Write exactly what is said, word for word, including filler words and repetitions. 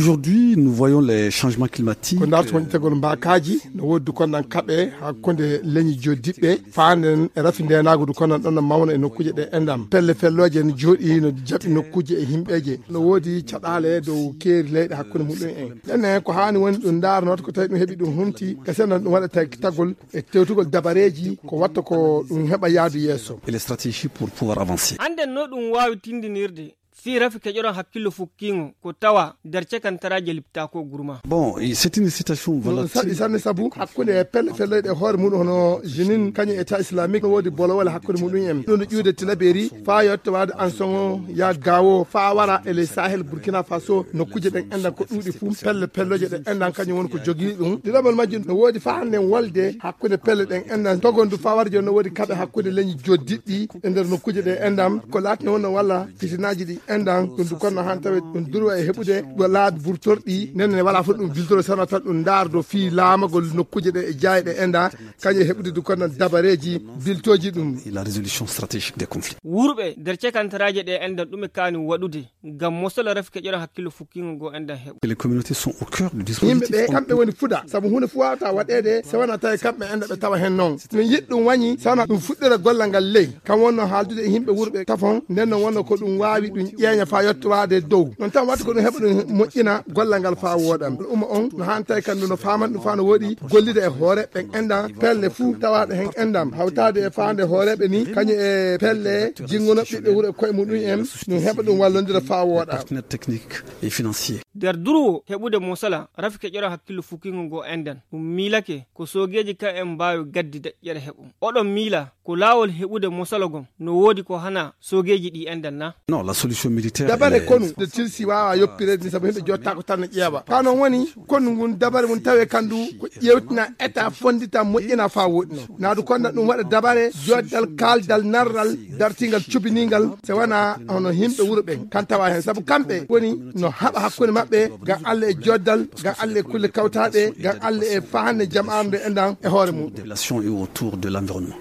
Aujourd'hui, nous voyons les changements climatiques. Ko ndarto wonitagol mbaakaaji, no woodi dukonnan kaɓe hakkunde leñi joddiɓɓe, faanden e rafi ndeenaagu dukonnan ɗon no mawna e nokkuuje ɗe enɗam. Pelle fellooje no jooɗi, no jaɓi nokkuuje e himɓeeje. No woodi caɗaale dow keeri leyɗe hakkunde muɗum en. Ɗenne ko haani woni ɗum ndaarnooto ko tawi ɗum heɓi ɗum humti, ka senna ɗum waɗa tagitagol e tewtugol dabareeji ko watta ko ɗum heɓa yaadu yeeso. Et les stratégies pour pouvoir avancer. Hannden no ɗum waawi tindinirde fii rafi keƴoran hakkillo fukkiingo ko tawa nder cekantaraaje liptaako gurma. Bon, c'est une situation volatile. Saɗi sanne sabu hakkunde e pelle felloyɗe e hoore muɗum hono Jenin kañum État islamique no woodi bolowole hakkunde muɗum en. Ɗum no ƴuude Tilaberi faa yotta waade Ansoŋo ya Gawo faa wara e ley Sahel Burkina Faso nokkuuje ɗen enɗan ko ɗuuɗi fuu pelle pelloje ɗe enɗan kañum woni ko jogii ɗum. Ɗiɗaɓal majjum no woodi faa hannden wolde hakkunde pelle ɗen enɗan togondu faa wara jooni no woodi kaɓe hakkunde leñi joddiɗɗi e nder nokkuuje ɗe enɗan ko laatino wonno walla fitinaaji ɗi enɗan ɗum du konno han tawe ɗum durwa e heɓude ɗo laabi burtorɗi nden ne wala fof ɗum biltoro sano tan ɗum ndaardo fii laamagol nokkuuje ɗe e jaaye ɗe enɗan kañum e heɓude du konno dabareeji biltooji ɗum. Et la résolution stratégique des conflits. Wurɓe nder cekantaraaje ɗe enɗan ɗume kaani waɗude ngam mosala rafi keƴoran hakkillo fukkiingo ngo enɗan heɓa. Les communautés sont au cœur du dispositif. Yimɓe ɓe kamɓe woni fuɗa sabu huunde fof waawata waɗeede so wonaa tawi kamɓe enɗan ɓe tawa heen noon min yiɗi ɗum wañi sana ɗum fuɗɗira gollal ngal ley kam wonno haaldude e yimɓe wurɓe tafon nden no wonno ko ɗum waawi ɗum ƴeeña faa yottowaade dow noon tan waɗta ko ɗum heɓa ɗum moƴƴina gollal ngal faa wooɗa al'umma on no haani tawi kam ndu no faaman ɗum faa no woɗi gollida e hoore ɓen enɗan pelle fuu tawaaɗe heen enɗan hawtaade e faande hooreeɓe ni kañum e pelle jinguno ɓiɓɓe wuro e koye muɗum en ɗum heɓa ɗum wallondira faa wooɗa. Partenaire technique et financier. Nder durwo heɓude mosala rafi keƴoran hakkillo fukkiingo ngo enɗan ɗum miilake ko soogeeji kan en mbaawi gaddi daƴƴere heɓum oɗon miila ko laawol heɓude mosala gon no woodi ko hana soogeeji ɗi enɗan na? Non, la solution militaire. Dabare konu nde tilsi waawa yoppireede ni sabu yimɓe jottaako tan no ƴeewa ka noon woni konu ngun dabare mum tawe kandu ko ƴeewtina état fonndita moƴƴina faa woɗɗino naadu konda ɗum waɗa dabare joddal kaaldal narral dartingal cubiningal so wonaa hono yimɓe wuro ɓen kan tawa heen sabu kamɓe woni no haɓa hakkunde maɓɓe ngam Allah e joddal ngam Allah e kulle kawtaaɗe ngam Allah e faande jamaare nde enɗan e hoore mum. Population et autour de l'environnement.